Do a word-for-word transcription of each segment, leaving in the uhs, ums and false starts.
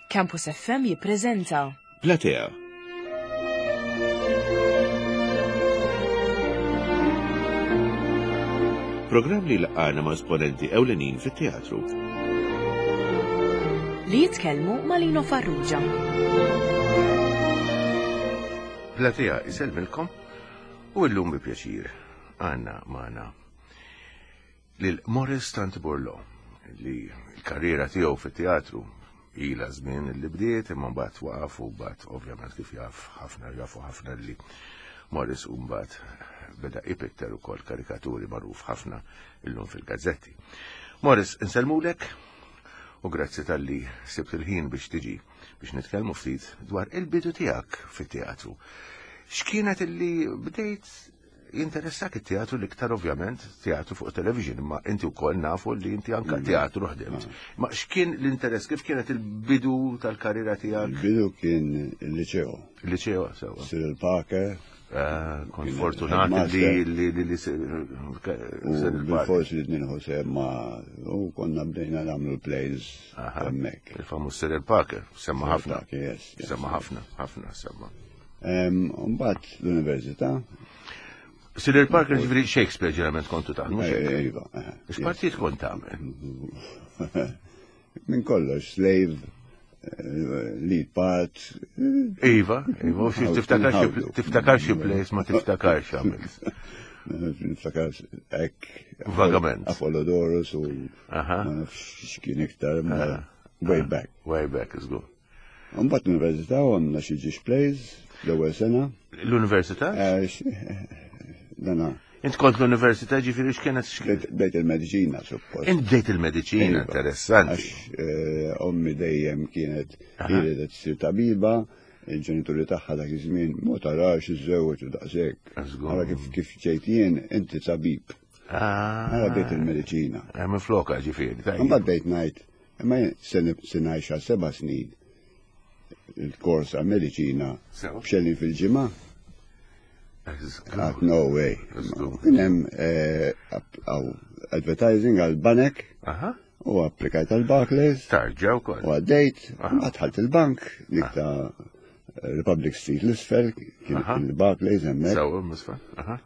Campus F M jippreżenta Platea. Programm li laqana ma' esponenti ewlenin fit-teatru. Li jitkellmu ma' Lino Farrugia. Platea isellmilkom u illum bi pjaċir għandna magħna lil Morris Tant Burlo, li l-karriera tiegħu fit-teatru ila żmien li bdiet, imma mbagħad waqaf u mbagħad, ovvjament, kif jaf ħafna, jafu ħafna li Morris u mbagħad beda ipitter ukoll karikaturi, magħruf ħafna illum fil-gazzetti. Morris, insellmulek u grazzi talli sibt il-ħin biex tiġi biex nitkellmu ftit dwar il-bidu tiegħek fit-teatru. X'kienet illi bdejt jinteressak it-teatru l-iktar? Ovvjament teatru fuq television, imma inti wkoll nafu li inti anka teatru ħdimt. Ma x'kien l-interess, kif kienet il-bidu tal-karriera tiegħek? Il-bidu kien il-liceo. Il-liceo, sewa. Cyril Parker. Ah, kont Kien fortunat li headmaster. li li li U Cyril Parker. bil-forsi li nieħu sehem ma u konna bdejna nagħmlu plays Aha. hemmhekk. Il-famuż Cyril Parker, semma ħafna. Parker, yes, yes. Semma ħafna, ħafna semma. Em, Mbagħad l-università. Cyril Parker, ġifieri Shakespeare ġeneralment kontu taħdmu, eh, xek? Iva. eh, X'partit kont tagħmel? Yes. Minn kollox, slave, eh, lead part. eh, Iva, iva, u xi tiftakar xi tiftakar xi plays, ma tiftakarx għamilt? Niftakar hekk. Vagament. Apollodorus u Aha. ma nafx x'kien iktar, ma way back. Way back is good. Mbagħad l-università għamilna xi ġiex plays l-ewwel sena. L-università? Eh, x- Dana, Int kont l-università, ġifieri x'kienet x'kienet? bdejt bdejt il-mediċina suppost. Int bdejt il-mediċina, Iva. interessanti. Għax eh, ommi dejjem kienet ridet ssir tabiba, il-ġenituri tagħha dak iż-żmien ma tarax iżżewweġ u daqshekk. Żgur. Ara kif kif ġejt jien, inti tabib. Ah. Ara bdejt il-mediċina. Eh, minn floka ġifieri, tajjeb. Mbagħad bdejt ngħid, imma jien se nib- se ngħix għal seba' snin il-kors għal mediċina Sew. b'xellin fil-ġimgħa. Żgur. Għat no way. Żgur. Kien hemm eh, app- aw, advertising għal banek Aha. u applikajt għal Barclays Tarġa wkoll. u għaddejt, Aha. għadħalt il-bank, dik ta' Republic Street l-isfel, kien Aha. kien il-Barclays hemmhekk. Sew, misfa. Aha.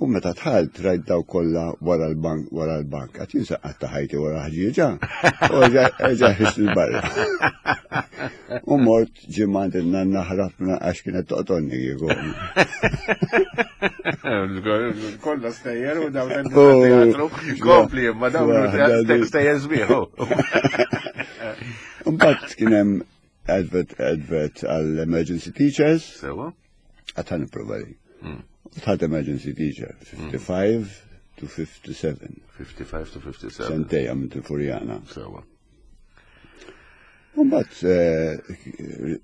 U meta dħalt rajt daw kollha wara l-bank, wara l-bank. Għat jinsa għatta ħajti wara ħġieġa. U ġa ħist il-barra. U mort ġimgħa il-nanna, ħrabna għax kienet toqtolni kieku. Kollha stejjer u dawn Oh. teatru. Kompli, imma dawn Waħda stejjer sbieħ. Mbagħad kien hemm advert advert għall emergency teachers, Sewa. għat ħa nipprova li. Mm. Dħalt emergency teacher, fifty-five to fifty-seven. fifty-five to fifty-seven. Sentej għamilt il-Furjana. Sewa. Mbagħad eh,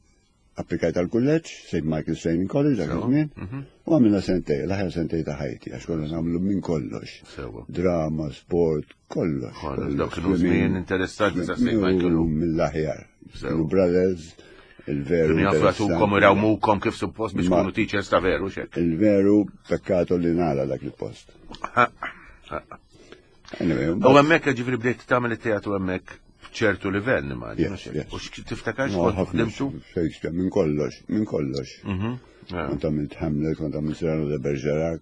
applikajt għal kulleġġ, Saint Michael's Training College dak Sewa. iż-żmien, Mhm. u għamilna sentej, l-aħjar sentej ta' ħajti, għax konna nagħmlu minn kollox. Sewa. Drama, sport, kollox. Kollox, dawk kienu żmien interessanti sa' Saint Michael. U mill-aħjar. Sewa. Kienu brothers, il-veru. Kienu jaffratukom, interessanti. irawmukom kif suppost biex Ma- kunu teachers ta' veru, xek. Il-veru pekkato li nara dak il-post. Anyway, U hemmhekk ġifieri bdejt tagħmel it-teatru hemmhekk b'ċertu livell, nimmaġina. Yes, yes. U x'k- tiftakar No, x'kont ħafna ħdimtu? Shakespeare, minn kollox, minn kollox. Mhm. Ja. Kont għamilt Hamlet, kont għamilt Cyrano de Bergerac.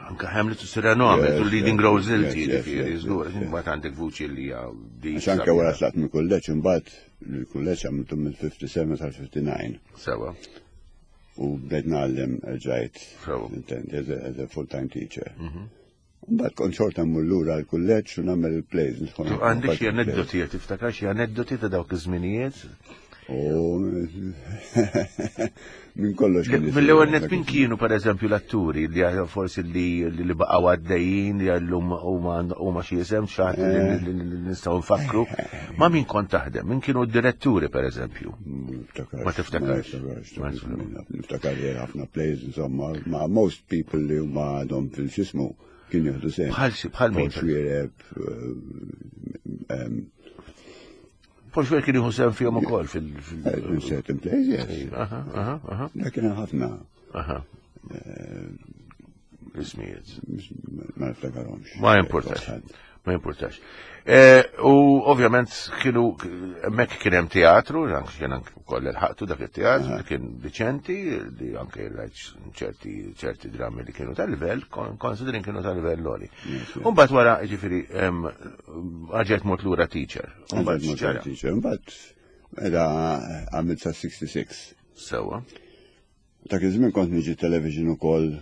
Anka Hamlet u Cyrano għamilt, u Yes, leading yes, roles yes, inti, yes, ġifieri, yes, żgur, yes, yes. mbagħad għandek vuċi li hija di. Għax anke wara tlaqt minn kulleġġ, imbagħad il-kulleġġ għamiltu minn fifty-seven sal-fifty-nine. Sewa. U bdejt ngħallem ġajt, Sewa. intendi, as a, as a full-time teacher. Mbagħad kont xorta mmur lura l-kulleġġ u nagħmel il-plays. nidħol Għandek xi nagħmel plays. aneddoti, tiftakar xi aneddoti ta' dawk iż-żminijiet? U minn kollox kien isir Mill-ewwel net dak min iż-żmien. kienu, per eżempju, l-atturi li għal- forsi li li baqgħu għaddejjin li għallum huma huma xi isem xi ħadd li li- li li nistgħu nfakru? Ma min kont taħdem? Min kienu d-diretturi, per eżempju? Niftakarx. Ma tiftakarx. Ma Ma niftakarx. Niftakar li ħafna plays, insomma, ma most people li huma għadhom fil-xismu kien jieħdu sehem. Bħal xi- bħal min? Paul Xuereb, eh, Paul Xuereb kien jieħu sehem fihom ukoll fil- in fil- certain plays, yes. Aha, aha, aha, Dak kien ħafna, aha. Ismijiet. Ma niftakarhomx. Ma importax. Ma jimpurtax. Eh, U ovvjament kienu, hemmhekk kien hemm teatru, anke kien anke wkoll il-ħaqtu dak it-teatru, li kien diċenti, li anke rajt ċerti ċerti drammi li kienu tal-livell, considering kienu tal-livell għoli. Umbagħad wara, ġifieri, għaġet mort lura teacher. Umbagħad x'ġara? Teacher. Mbagħad mela għamilt sa sitta u sittin. Sewa. Dak iż-żmien kont niġi television ukoll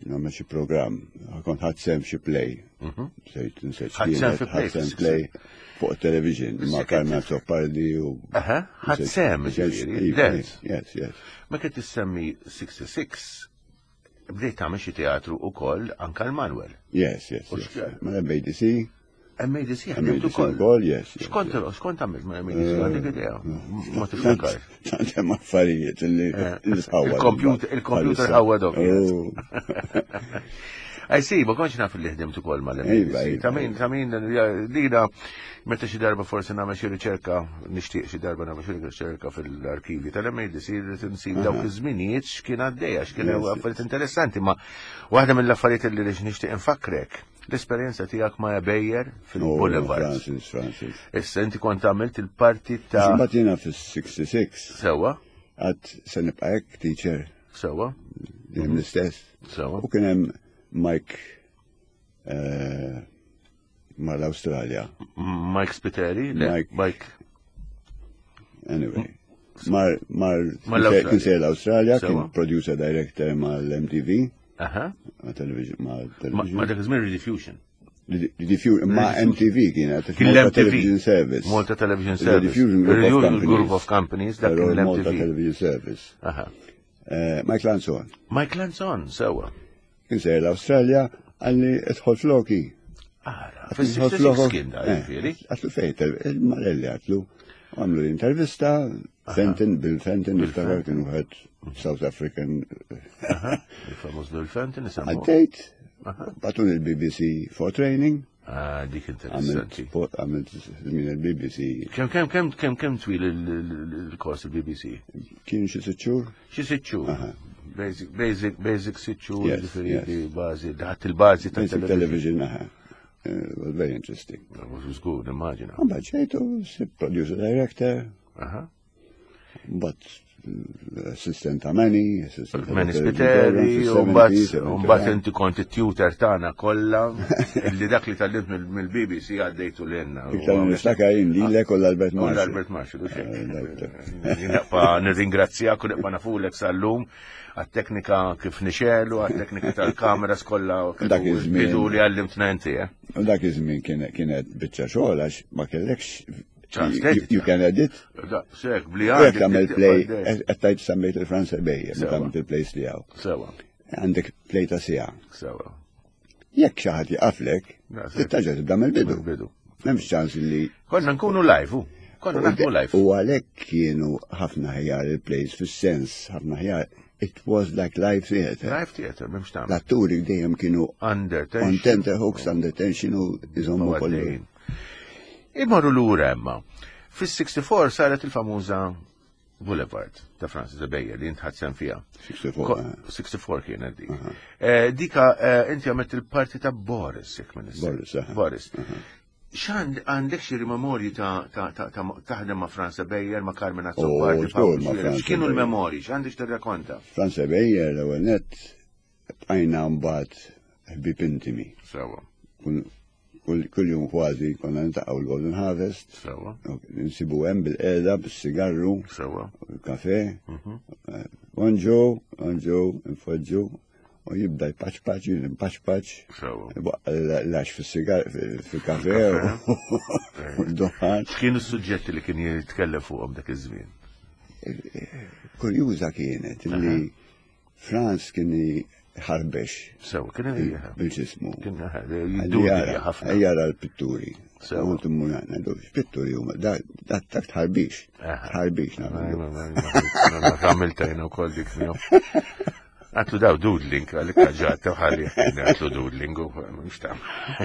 nagħmel xi programm. Kont ħadt sehem xi play. Sejt nsejt Ħadt sehem fi play, ħadt sehem play fuq television ma' Carmen Azzopardi u Aha, ħadt sehem, ġifieri, dance. Yes, yes. Ma kien tissemmi sitta u sittin, bdejt tagħmel xi teatru ukoll anka l-Manuel. Yes, yes, U yes. x'ġara? Ma M A D C, M A D C ħdimt M A D C ukoll. Ukoll, yes. yes, X'kont x'kont għamilt ma' M A D C, għandek idea? Ma tiftakarx. Tant hemm affarijiet li li sħawwa. Il-computer il-computer ħawwadhom. Oh. I see, ma kontx naf li ħdimt ukoll Iva, mal-M A D C. iva, Ta' min, ta' min, lina, meta xi darba forsi nagħmel xi riċerka, nixtieq xi darba nagħmel xi riċerka fil-arkivi tal-M A D C, rrid insib dawk iż-żminijiet x'kien għaddejja, x'kien Yes. affarijiet interessanti, ma waħda mill-affarijiet li nixtieq infakrek, l-esperjenza tiegħek ma' Ebejer Oh, fil-Boulevard. Francis, Francis. Issa inti kont għamilt il-parti ta' Mbagħad jiena fis-sitta u sittin Sewa, għad se nibqa' hekk teacher sewa, dejjem l-istess. sewa. U kien hemm Mike eh, mal-Awstralja. Mike Spiteri, le, Mike. Mike. Anyway. Mar, mar, Mal-Awstralja. kien sejjer l-Awstralja, kien Sewa. producer director mal-M T V, Aha. ma' television, ma' Ma television. ma dak iż-żmien Rediffusion. Rediffusion, ma' M T V kienet, Kien Malta l-M T V. Television Service. Malta Television Service. Rediffusion Group of Rediffusion Companies. Group of Companies, dak Però kien Malta l-M T V. Television Service. Aha. Eh, Mike Lanzon. Mike Lanzon, sewa. Kien sejjer l-Awstralja, qalli idħol floki. Ara, Idħol fis-sitta u sittin flokok. kien da, Eh, ġifieri. Għedtlu fejn, il-Marelli għedtlu. Għamlu l-intervista, Fenton, Bill Fenton, niftakar kien wieħed South African. Il-famuż Bill Fenton, nisemmu. Għaddejt, bagħtuni il-B B C for training, Ah, dik għamilt interessanti. għamilt żmien il-B B C. Kemm kemm kemm kemm kemm twil il-kors il-B B C? Kien xi sitt xhur. Xi sitt xhur. Basic, basic, basic sitt xhur, Yes, ġifieri yes. bażi, daħt il-bażi ta' Basic television. television, aha. Uh, was very interesting. Żgur, nimmaġina. Mbagħad ġejtu, sirt producer director, Aha. mbagħad eh, assistant ta' Manny, assistant ta' Manny television Spiteri, program u mbagħad fis-seventies, u mbagħad inti kont it-tutor tagħna kollha, illi dak li tgħallimt mill-B B C għaddejtu lilna. Iktar niftakar jien lilek u l-Albert U Marshall. l-Albert Marshall, u xejn. Eh, dak- dak. Nibqa' nirringrazzjak u nibqa' nafulek sal-lum għat-teknika kif nixegħlu, għat-teknika tal-kameras kollha Dak iż-żmien. bidu li għallimtna inti, eh? U dak iż-żmien kienet kienet biċċa xogħol għax ma kellekx Chance you- edit. you can edit. Da, sek, bli U jekk għandek tagħmel tibqa' play, għaddej. qed tgħid semmejt il-Franz Ebejer, meta Sewa. għamilt il-plays li hawn. Sewa, Għandek play ta' siegħa. sewa. Jekk xi ħadd jaqaflek, Da, sek. trid tibda mill-bidu. Mill-bidu. M'hemmx ċans li Konna nkunu live, u. Konna naħdmu live. U għalhekk kienu ħafna ħjar il-plays, fis-sens ħafna ħjar. It was like live theater. Live theater, m'hemmx tagħmel. L-atturi dejjem kienu Under on tension. tenterhooks, under tension u jżommu kollu. Għaddejjin. Imorru lura emma. Fis-sitta u sittin saret il-famuża Boulevard ta' Francis Ebejer li int ħadt sehem fiha. sitta u sittin. Ko- sitta u sittin kienet dik. Eh, Dika eh, inti għamilt il-parti ta' Boris, jekk minn Boris, aha. Boris. X'għand għandek xi memorji ta' ta' ta' ta' taħdem ma' Franz Ebejer, ma' Carmen Azzopardi, Oh, żgur, ma' Franz x'kienu Ebejer. l-memorji, x'għandek tirrakkonta? Franz Ebejer l-ewwel nett bqajna mbagħad ħbieb intimi. Sewa, Kull kull- kull jum kważi konna niltaqgħu l-Golden Harvest, sewa, nsibu hemm bil-qiegħda bis-sigarru, sewa. kafe, bonġu, bonġu, nfoġġu, u jibda jpaċpaċ, jpaċpaċ, Sewa. lax fil-sigar, fil-kafe, u d-duħan. X'kienu s-suġġetti li kien jitkellem fuqhom dak iż-żmien? Kurjuża kienet li Franz kien ħarbex Sewa, kien bil-ġismu. Kien jiddubja ħafna. Jara l-pitturi. Sewa. U timmu għana, pitturi huma, da dak tħarbix. Aha. Tħarbix, nagħmlu. Għamilta jena u koll dik miegħu. Għatlu daw doodling, għalik ġat, ħalli, għatlu doodling, u mux tam.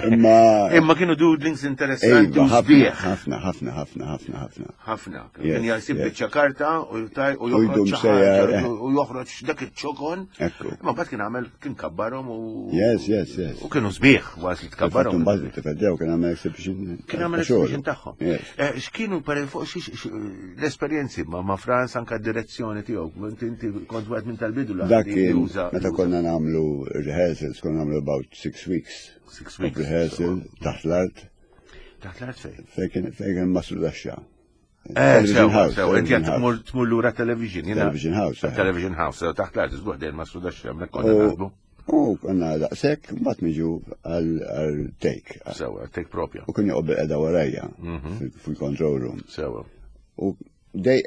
Imma. Imma kienu doodlings interessanti Ejba, u ħafna, sbieħ. ħafna, ħafna, ħafna, ħafna, ħafna. Ħafna. Yes, Kien jasib yes. biċċa karta u taj u U joħroġ jdum xi sejjer, ħaġa, eh. u joħroġ dak iċ-ċokon. Ekku. Imma mbagħad kien għamel kien kabbarhom u Yes, yes, yes. u kienu sbieħ was li Fatt tkabbarhom. mbagħad it-tifel kien għamel exhibition. Kien għamel ta' xogħol. exhibition tagħhom. Yes. Eh, X'kienu per fuq xi- xi- l-esperjenzi ma' ma' Franz anka d-direzzjoni tiegħu, inti inti kont wieħed minn tal-bidu la Dak li kien, juża- meta juża- konna nagħmlu rehearsals, konna nagħmlu about six weeks. Six of weeks, Rehearsal taħt l-art, Taħt l-art fejn. fejn kien fejn kien Masru Daxxa. Eh, Television sew, House, sew, inti Television qed House. tmur tmur lura television. jiena- Television House, eh. Television House, sew, taħt l-art, żgur dejjem ma' sudax hemmhekk konna U- naħdmu. U konna daqshekk, mbagħad niġu għal għal take. Sew, take propja. U kien joqgħod bil-qeda warajja Mhm. fil- fil-control room. Sew, U dej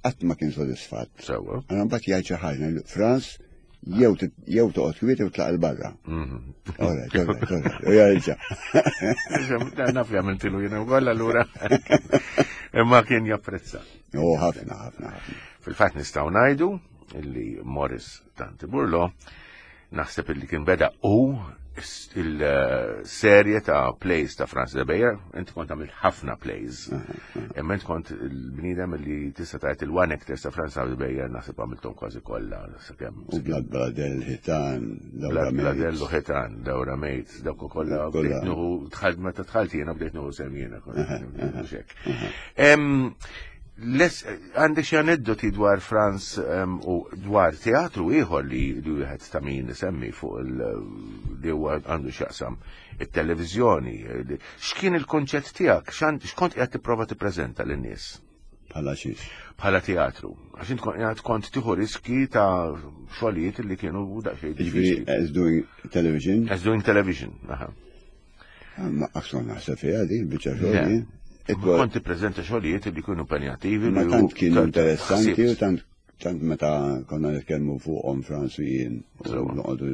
qatt ma kien sodisfatt. sew. Għana mbagħad jgħid xi ħaġa, Franz jew tit- jew toqgħod kwiet jew tlaq 'il barra. Mhm. All right, all right, all right. U jarġa'. Naf li għamiltilu jiena wkoll allura. Imma kien japprezza. U ħafna, ħafna, ħafna. Fil-fatt nistgħu ngħidu illi Morris Tanti Burlo naħseb illi kien beda u il-serje ta' plays ta' Franz de Beyer, inti kont għamilt ħafna plays. Imma inti kont il-bniedem li tista' tgħid il-one actors ta' Franz de Beyer naħseb għamilthom kważi kollha sakemm. U Blad Bladel, Ħitan, Laura Blad Bladellu Mates. Ħitan, Laura Mates, dawk kollha Kollha. bdejt nuħu dħalt meta dħalt jiena bdejt nuħu sem jiena mhux hekk. Em, les- Għandek xi aneddoti dwar Franz em, u dwar teatru ieħor li li wieħed ta' min isemmi fuq il li huwa għandu x'jaqsam it-televiżjoni. X'kien il-konċett tiegħek? X'għand- X'kont qiegħed tipprova tippreżenta lin-nies? Bħala xiex. bħala teatru. Għax int kont qiegħed kont tieħu riski ta' xogħlijiet li kienu daqsxejn Ġifieri, diffiċli. as doing television, As doing television. Aha. ma akson naħseb fiha di, biċċa Le. xogħol. It was- Kont tippreżenta xogħlijiet li kienu impenjattivi. Ma li tant u- kienu ta- interessanti u ħsibt. tant tant meta konna nitkellmu fuqhom Franz u jien u Sewa. noqogħdu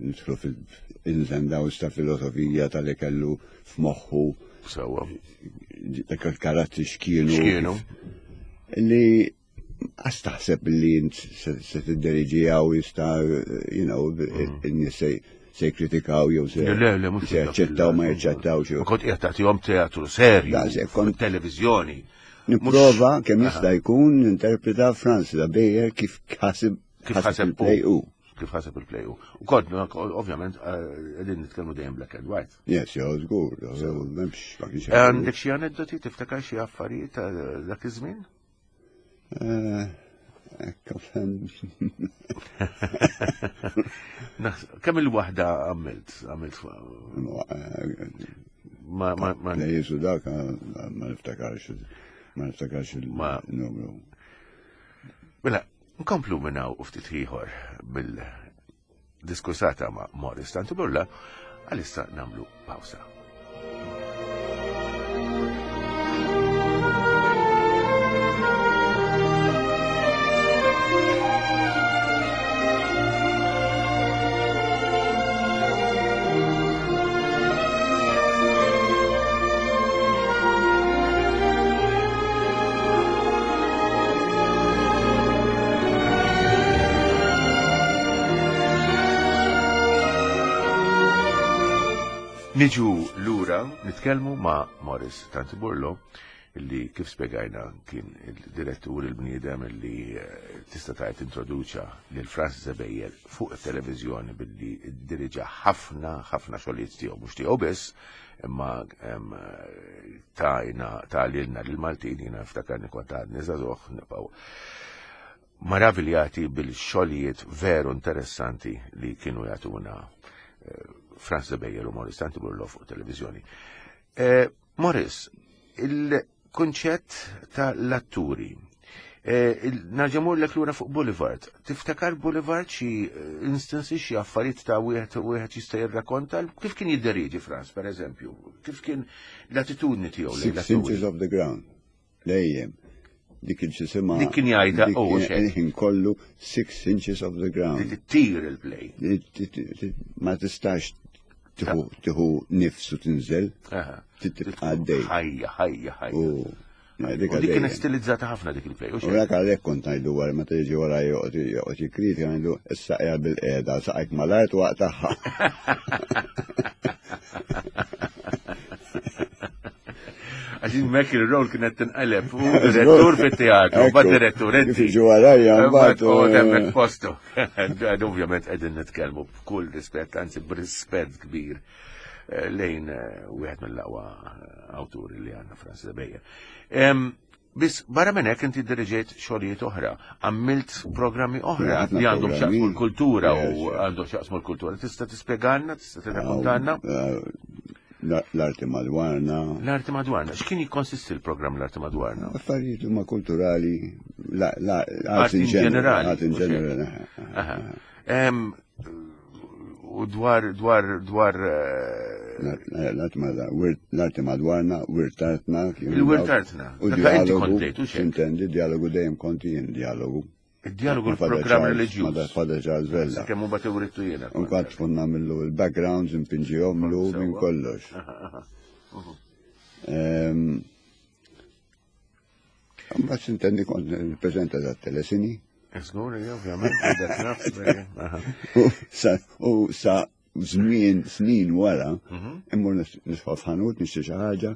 nidħlu fil-ins and outs ta' filosofija tal-li kellu f'moħħu Sewwa. dak il-karattri x'kienu. X'kienu? Li għas taħseb li int se se tidderiġiha u jista' you know, in-nies se se jikkritikaw jew se Le, le, mhux se jaċċettaw ma jaċċettawx. Ma kont qiegħed tagħtihom teatru serju. Daqshekk, kont- televizjoni. Nipprova kemm jista' jkun ninterpreta Franz da Beyer kif ħasib Kif ħaseb il-play u. Kif ħaseb il-play u. U kont, ovvjament, eh, qegħdin nitkellmu dejjem black and white. Yes, jew żgur, jew m'hemmx ma kienx hemm. Għandek xi aneddoti tiftakar xi affarijiet ta' dak iż-żmien? Eh, Ekk, offhand. Naħs- Kemm il-waħda għamilt? Għamilt ma ma ma Plays u dak eh, ma niftakarx ma niftakarx Ma- il-numru. Mela, nkomplu minn hawn u ftit ieħor bil-diskursata ma' Morris Tantiburla, għalissa namlu pawsa. Niġu lura nitkellmu ma' Morris Tantiburlo illi kif spiegajna kien il-direttur il-bniedem illi eh, tista' tgħid introduċa lil Francis Ebejer fuq it-televiżjoni billi diriġa ħafna ħafna xogħlijiet tiegħu mhux tiegħu biss imma em, eh, tajna ta' lilna lil Maltin jiena niftakarni kont għadni żagħżugħ nibqgħu maraviljati bil-xogħlijiet veru interessanti li kienu jagħtuna eh, Franz de Beyer u Morris Tantiburlo fuq televizjoni. Eh, Morris, il-konċett ta' l-atturi, eh, il- Nerġa' mmurlek lura fuq Boulevard. Tiftakar Boulevard xi eh, instances xi affarijiet ta' wieħed wieħed jista' jirrakkonta kif kien jidderieġi Franz, per eżempju? Kif kien l-attitudni tiegħu lejn Six l-atturi? inches of the ground. Dejjem. Dik il-ċisima. Dik kien jgħidha, oh, xek. Ħin kollu six inches of the ground. Li tittir il-play. Ma tistax tieħu tieħu nifsu tinżel, Aha. tibqa' għaddej. Ħajja, ħajja, ħajja. U U dik kienet stilizzata ħafna dik il-play. U dak għalhekk kont ngħidu wara meta jiġi wara joqgħod jikkritika ngħidu issa qiegħed bil-qiegħda saqajk mal-art waqtaħħa. Għaxin mek il-rol kienet tinqaleb u direttur fit-teatru, bad direttur inti. Jiġu warajja mbagħad. U temmek postu. Ovvjament qegħdin nitkellmu b'kull rispett, anzi b'rispett kbir lejn wieħed mill-aqwa awturi li għandna Francis Bejja. Biss barra minn hekk inti diriġejt xogħlijiet oħra, għamilt programmi oħra li għandhom x'jaqsmu l-kultura u għandhom x'jaqsmu l-kultura. Tista' tispjegalna, tista' tirrakkontalna? L-arti madwarna. L-arti madwarna. X'kien jikkonsisti l-programm l-arti madwarna? Affarijiet huma kulturali, l-arti in ġenerali. Arti in ġenerali. U dwar, dwar, dwar... L-arti madwarna, wirtartna. Il-wirtartna. U dialogu. Intendi, dialogu dejjem konti jien dialogu. Il-dialogu l-programm reliġjuż. Ma Father Charles Vella. Kemm hu bagħad iwrittu jiena. U kont tkun nagħmlu l-backgrounds, impinġihomlu minn kollox. Mbagħad intendi kont nippreżenta dat-telesini. Żgur, ovvjament, dak naf. U sa żmien snin wara, immur nisħof f'ħanut nixtri xi ħaġa,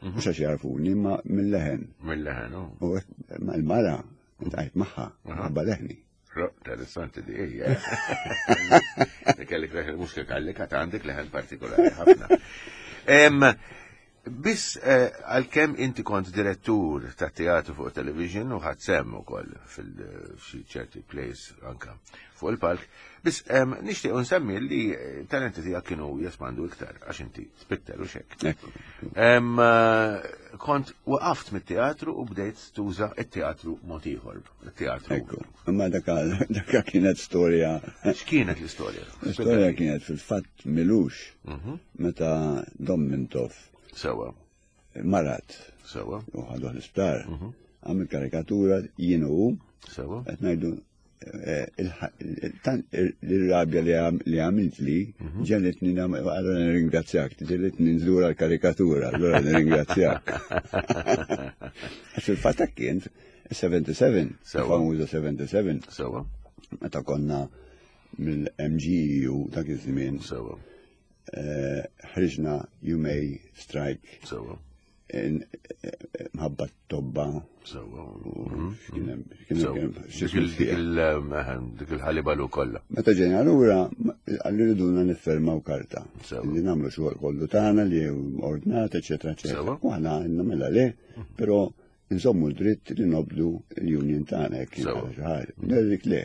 mhux għax jarfuni, imma mill-leħen. Mill-leħen, u l-mara intqajt magħha, ħabba leħni. Interessanti di hija. Kellek leħen mhux kellek għad għandek leħen partikolari ħafna. Biss għalkemm inti kont direttur ta' teatru fuq television u ħadd semm ukoll fil-xi ċerti plays anka fuq il-palk, biss nixtieq nsemmi li talenti tiegħek kienu jespandu iktar għax inti tpitter u xek. Kont waqaft mit-teatru u bdejt tuża it-teatru mod ieħor, it-teatru. Ekku, imma daka kienet storja. X'kienet l-istorja? L-istorja kienet fil-fatt milux meta Dom Mintoff. Sewa. Marat. Sewa. U ħaduh l-isptar. Għamil karikatura jien u. Sewa. Qed ngħidu l-rabja li għamilt li ġelitni għallura nirringrazzjak, ġelitni nżura l-karikatura, allura nirringrazzjak. Għax fil-fatt kien seventy-seven, famuża seventy-seven. Sewa. Meta konna mill-M G E U dak iż-żmien. Sewa. Ħriġna you may strike. Sewa. Mħabba tobba. Sewa. Dik il-ħalibalu kollha. Meta ġejna lura, għalli riduna niffermaw karta. Li nagħmlu xogħol kollu tagħna li ordnat, eċetera, eċetera. U aħna għandna mela le, però nżommu d-dritt li nobdu l-union tagħna jekk kien xi ħaġa. Dik le.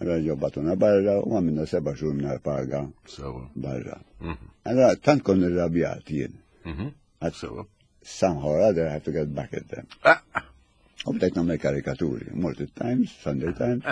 Allora ġobbatuna barra u għamilna seba' xhur mingħajr paga barra. Allora tant kont irrabjat jien. Sewa. Somehow or other I have to get back at them. U bdejt nagħmel karikaturi, mort it-Times, Sunday Times,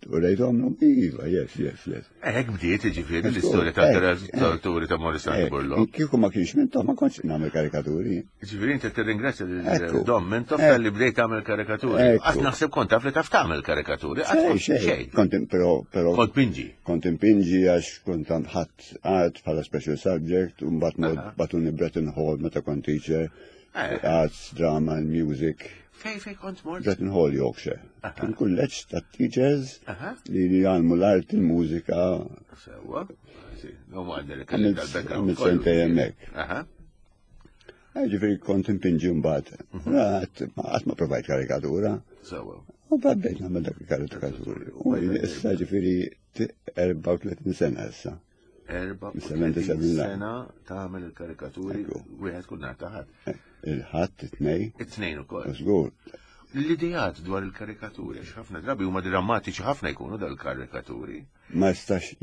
u rejthom iva, yes, yes, yes. Hekk bdiet jiġifieri l-istorja ta' karikaturi ta' Morris Burlo. Kieku ma kienx Mintoff ma kontx nagħmel karikaturi. Jiġifieri inti tirringrazzja lil Dom Mintoff talli bdejt tagħmel karikaturi. Qatt naħseb kont taf li taf tagħmel karikaturi, qatt xejn. Kont però però kont pinġi. Kont impinġi għax kont ħadd art bħala special subject u mbagħad batuni Bretton Hall meta kont teacher. Arts, drama and music. Fej, fej kont mort? Bretton Hall, Yorkshire. Kien kulleġġ ta' teachers li jgħallmu l-art, il-mużika. Sewa. Għamilt sentej hemmhekk. Ġifieri kont impinġi mbagħad. Qatt ma provajt karikatura. Sewa. U bdejt nagħmel dak il-karikaturi. U issa ġifieri erbgħa u tletin sena issa. Erba' sena tagħmel il-karikaturi wieħed kull nhar ta' ħadd. Il-ħadd, it-tnejn. It-tnejn ukoll. Żgur. L-idejat dwar il-karikaturi, għax ħafna drabi huma drammatiċi ħafna jkunu dal-karikaturi. Ma jistax,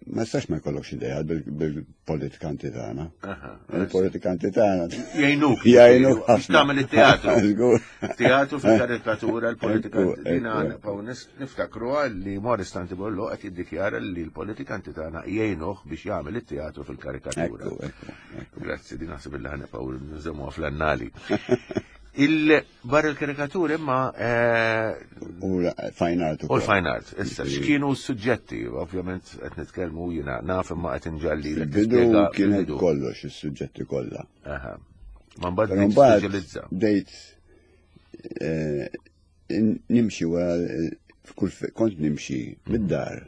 ma jistax ma jkollokx idejat bil-politikanti tagħna. Il-politikanti tagħna. Jgħinuk. Jgħinuk ħafna. Tagħmel it-teatru. Żgur. Teatru fil-karikatura, l-politikanti. Dina nibqgħu niftakru li Morris Tanti Borloo qed jiddikjara li l-politikanti tagħna jgħinuh biex jagħmel it-teatru fil-karikatura. Grazzi, din naħseb illi ħanibqgħu nżommuha fl-annali. Il-barra l-karikatur imma. U l-fine art. U l-fine art. Issa, x'kienu s-suġġetti? Ovvjament qed nitkellmu jiena naf imma qed inġalli. Bidu kienet kollox, is-suġġetti kollha. Aha. Ma mbagħad bdejt speċjalizza. Bdejt eh, nimxi wara f'kull kont nimxi mid-dar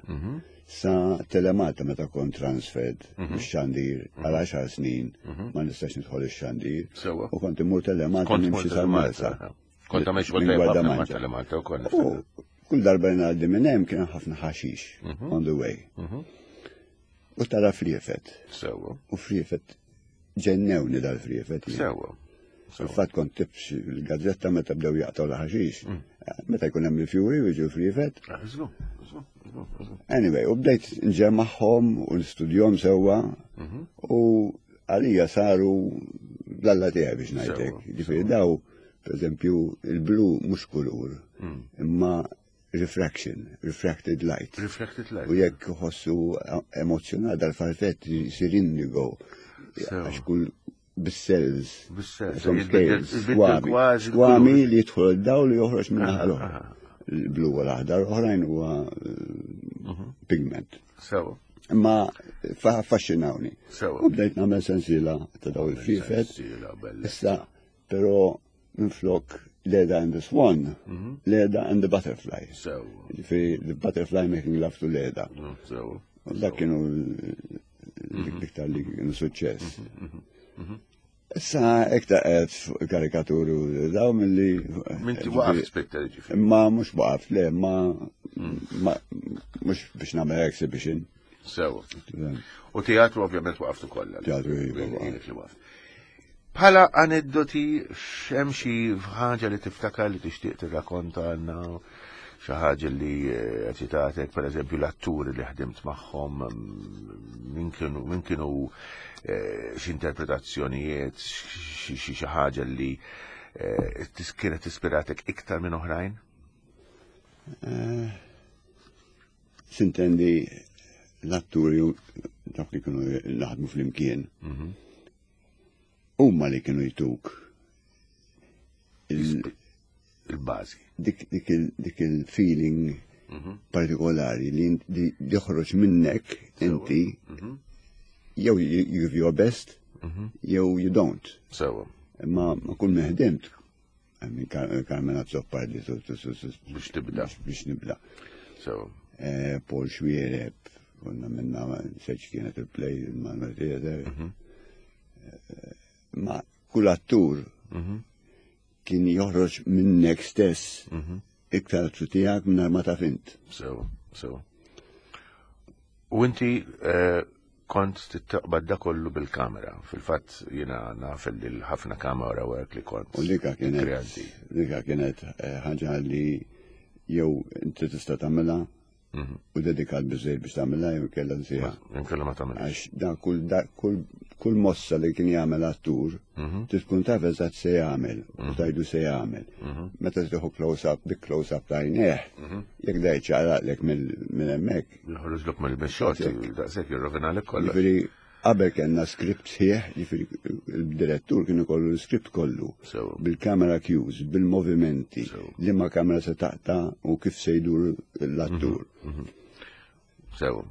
sa Telemalta meta kont transferred bix-xandir għal għaxar snin ma nistax nidħol ix-xandir. Sewwa. U kont immur Telemalta Kont nimxi sal-Marsa. Kont għamil xogħol Minn tajjeb ħafna ma' Gwardamanġa. Telemalta wkoll. U kull darba ngħaddi minn hemm kien hemm ħafna ħaxix on the way. U tara friefet. Sewwa. U friefet ġennewni dal-friefet. jien. Sewwa. Fil-fatt kont tibx il-gazzetta meta bdew jaqtaw l-ħaxix. Meta jkun hemm il-fjuri u jiġu friefet. Ah, żgur, żgur, żgur, żgur. Anyway, u bdejt nġemmaħħom u nistudjom sewwa u għalija saru l-alla tiegħi biex ngħidlek. Sewwa, Ġifieri daw, per eżempju, il-blu mhux kulur, imma refraction, refracted light. Reflected light. U jekk ħossu emozjonat dal-farfett jisir indigo. Sewwa. Għax kull bis-cells. Bis-cells, Some jitbiddel- scales, jitbiddel skwami. kważi Skwami l-kulur. li jidħol id-dawl u joħroġ minn naħa l-oħra. Il-blu u l-aħdar, oħrajn huwa eh, pigment. Sewwa. Imma fa- affaxxinawni. Sewwa. U bdejt nagħmel sensiela ta' daw il-friefet. Sensiela, bella. Issa, però minflok Leda and the Swan, Leda and the Butterfly. Sewwa. Ġifieri, the butterfly making love to Leda. Sewwa. U dak kienu l-iktar li kienu suċċess. Issa, iktar qed fuq karikaturu daw mill-li. Minti waqaf spitta ġifieri. Ma mhux waqaf, le, ma ma mhux biex nagħmel exhibition. Sewwa. U teatru ovvjament waqaftu kollha. Teatru, iva, waqaf. Ilek li waqaf. Bħala aneddoti, x'hemm xi ħaġa li tiftakar li tixtieq tirrakkonta għandna xi ħaġa li eh, eċitatek, per eżempju l-atturi li ħdimt magħhom, mm, min kienu min kienu eh, x'interpretazzjonijiet, xi xi xi ħaġa li eh, tis- kienet ispiratek iktar minn oħrajn? Sintendi l-atturi u dawk li kienu naħdmu flimkien. Huma li kienu jtuk il- Il-bażi. dik dik il- dik il-feeling partikolari li int- li joħroġ minnek inti jew you you give your best jew you don't. Sewwa. Imma ma kull ma ħdimt minn Carmen Azzopardi su- su- su- su- Biex tibda. biex nibda. Sewwa. Eh, Paul Xuereb, konna minna seċ kienet il-play il-Manuel Theater. Eh, Ma kull attur kien joħroġ minnek stess iktar tiegħek minn ma taf int. Sewwa, sewwa. U inti eh, kont tittaqbad da kollu bil-kamera. Fil-fatt jiena naf li l-ħafna kamera work li kont. U dika kienet kreanti. dika kienet eh, ħaġa li jew inti tista' tagħmilha u dedikat biżejjed biex tagħmilha jew kellha nsieha. Inkella ma tagħmilx. Għax da kull da kull kull mossa li kien jagħmel attur, trid tkun taf eżatt se jagħmel u tajdu se jagħmel. Meta tieħu close-up, dik close-up ta' għajnejh, jekk da jċaqlaqlek minn hemmhekk. Joħroġlok mill-xot, daqshekk jirrovinalek kollox. Jiġifieri qabel kellna script sħiħ, jiġifieri il-direttur kien ikollu l-script kollu. Sewwa. Bil-kamera cues, bil-movimenti, Sewwa. liema kamera se taqta' u kif se jdur l-attur. Sewwa.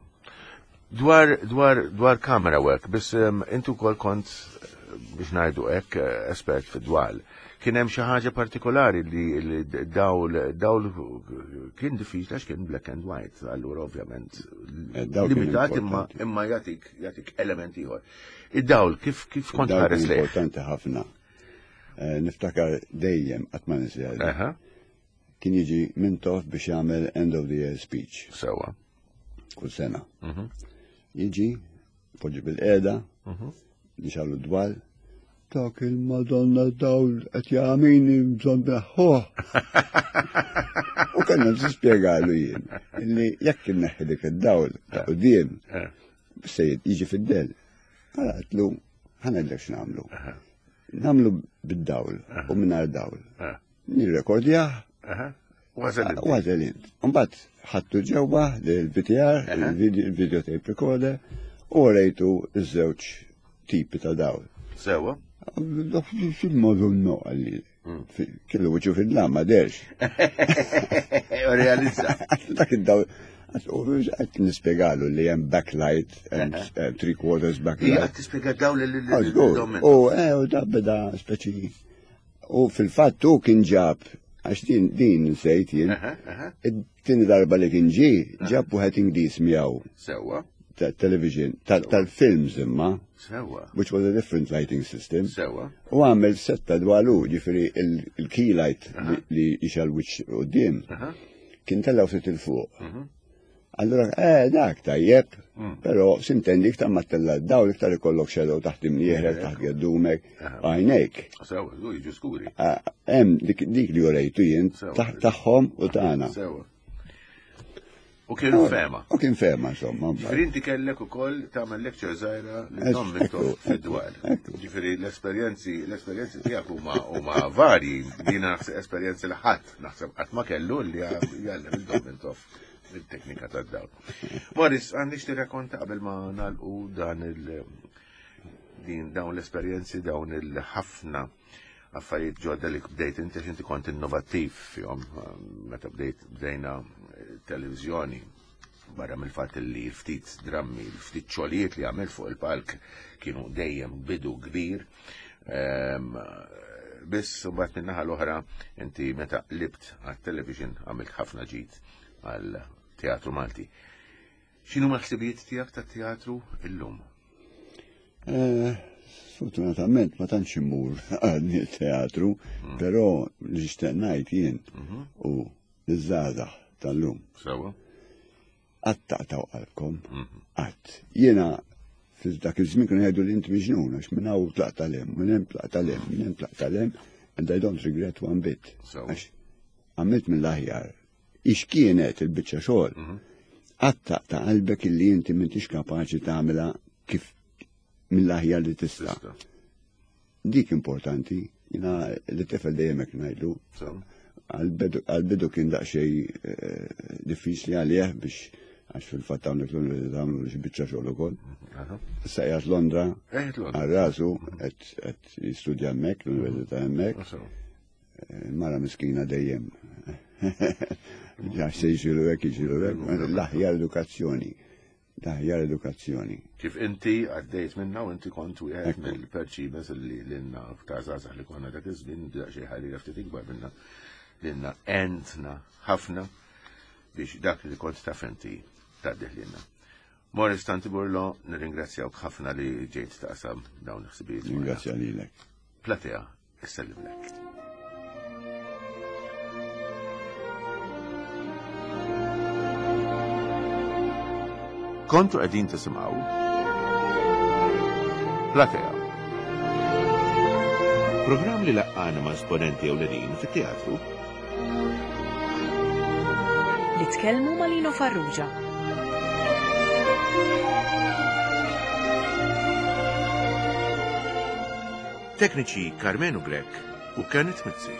Dwar, dwar, dwar camera work, biss um, intu kol kont eh, biex ngħidu hekk eh, espert fid-dwal. Kien hemm xi ħaġa partikolari li, li dawl dawl kien diffiċli għax kien black and white, allura ovvjament Eh, dawl kien limitat imma importanti. imma jagħtik jagħtik element ieħor. Id-dawl kif kif kont Dawl ħares kien lejh? importanti ħafna. Eh, Niftakar dejjem qatt ma ninsiha. Aha, Kien jiġi Mintoff biex jagħmel end of the year speech sewwa. kull sena. Jiġi, poġġi bilqiegħda, nixgħelu d-dwal, dak il-Madonna dawl qed jagħmini bżonn neħħuh. U kellna nispjegalu jien illi jekk inneħħi dik id-dawl ta' quddiem Eh. se jiġi fid-del. Għala għedtlu ħa ngħidlek x'nagħmlu. Nagħmlu bid-dawl u mingħajr dawl. Eh. Nirrekordjah Aha. Wasal U għażel int. Mbagħad ħadtu ġewwa l-V T R, il-video tape recorder, u rejtu iż-żewġ tipi ta' dawl. Sewwa. Fil-modu no għalli. Kellu wiċċu fid-dlam, ma derx. U realizza. Dak id-dawl. Għat nispiegalu li hemm backlight, hemm eh, three quarters Hija backlight. qed tispjega dawl li Ah, żgur. U eh, u da beda speċi. U fil-fatt hu kien ġab, għax din din nsejt jien, Aha, aha. it-tieni darba li kien ġie, ġab wieħed Ingliż miegħu Sewwa, ta' television, ta- tal-films imma, sewwa, which was a different lighting system. sewwa. U għamel setta dwalu, ġifieri il-key light li- li jixgħel wiċċ quddiem, Aha. kien tellgħu ftit 'il fuq. Allora, eh, dak tajjeb, però s'intendi iktar ma ttella' dawl iktar ikollok shadow taħt imnieħrek, taħt geddumek, għajnejk. Sewwa, żgur jiġu skuri. Ah, Hemm dik dik li urejtu jien Sewwa. taħ- tagħhom u tagħna. Sewwa. U kien fehma. U kien fehma, insomma. Ġifieri inti kellek ukoll tagħmel lecture żgħira li Ekku, Dom Mintoff fid-dwal. ekku. Ġifieri l-esperjenzi l-esperjenzi tiegħek huma huma varji. Jiena naħseb esperjenzi li ħadd naħseb qatt ma kellu li jgħallem lil Dom Mintoff il-teknika tad-dawl. Morris, għandix tirrakkonta qabel ma nagħlqu dan il din dawn l-esperjenzi, dawn il-ħafna affarijiet ġodda li bdejt inti għax inti kont innovattiv fihom meta bdejt bdejna eh, televizjoni barra mill-fatt li ftit drammi, ftit xogħlijiet li għamilt fuq il-palk kienu dejjem bidu kbir. Ehm, Biss mbagħad min-naħa l-oħra inti meta qlibt għat-television għamilt ħafna ġid għal teatru Malti. X'inhu l-ħsibijiet tiegħek tat-teatru illum? Eh, Sfortunatament ma tantx immur għal teatru, però li nixtieq ngħid jien u l-żgħażagħ tal-lum. Sewwa? Qatt taqtgħu qalbkom, qatt. Jiena fil dak iż-żmien kienu jgħidu li inti miġnun għax minn hawn tlaqt 'l hemm, minn hemm tlaqt 'l hemm, minn hemm tlaqt 'l hemm, and I don't regret one bit. Sewwa. Għax għamilt mill-aħjar. Ix kienet il-biċċa xogħol. Qatt taqta' qalbek illi inti m'intix kapaċi tagħmilha kif mill-aħjar li tista'. Tista'. Dik importanti, jiena li tifel dejjem hekk ngħidlu. Sewwa. Għal-bidu kien daqsxejn eh, diffiċli għalih biex għax fil-fatt hawnhekk l-università għamlu xi biċċa xogħol ukoll. Aha. Issa qiegħed Londra Qiegħed Londra. għal rasu qed qed jistudja hemmhekk, l-università hemmhekk. Sewwa. Mara miskina dejjem. Għax se jġiru hekk, jiġiru hekk, l-aħjar edukazzjoni. L-aħjar edukazzjoni. Kif inti għaddejt minna u inti kont wieħed Ekku. mill-perċibes li lilna ta' żgħażagħ li konna dak iż-żmien daqsxejn ħalli ftit ikbar minna lilna għentna ħafna biex dak li kont taf inti tgħaddih lilna. Morris Tanti Burlo, nirringrazzjawk ħafna li ġejt taqsam dawn il-ħsibijiet. magħna. Ringrazzja lilek. Platea, issellimlek. Kontu qegħdin tisimgħu Platea. Programm li laqqana ma' esponenti ewlenin fit-teatru Li tkellmu ma' Lino Farrugia. Tekniċi Carmenu Grech u Kenneth Mizzi.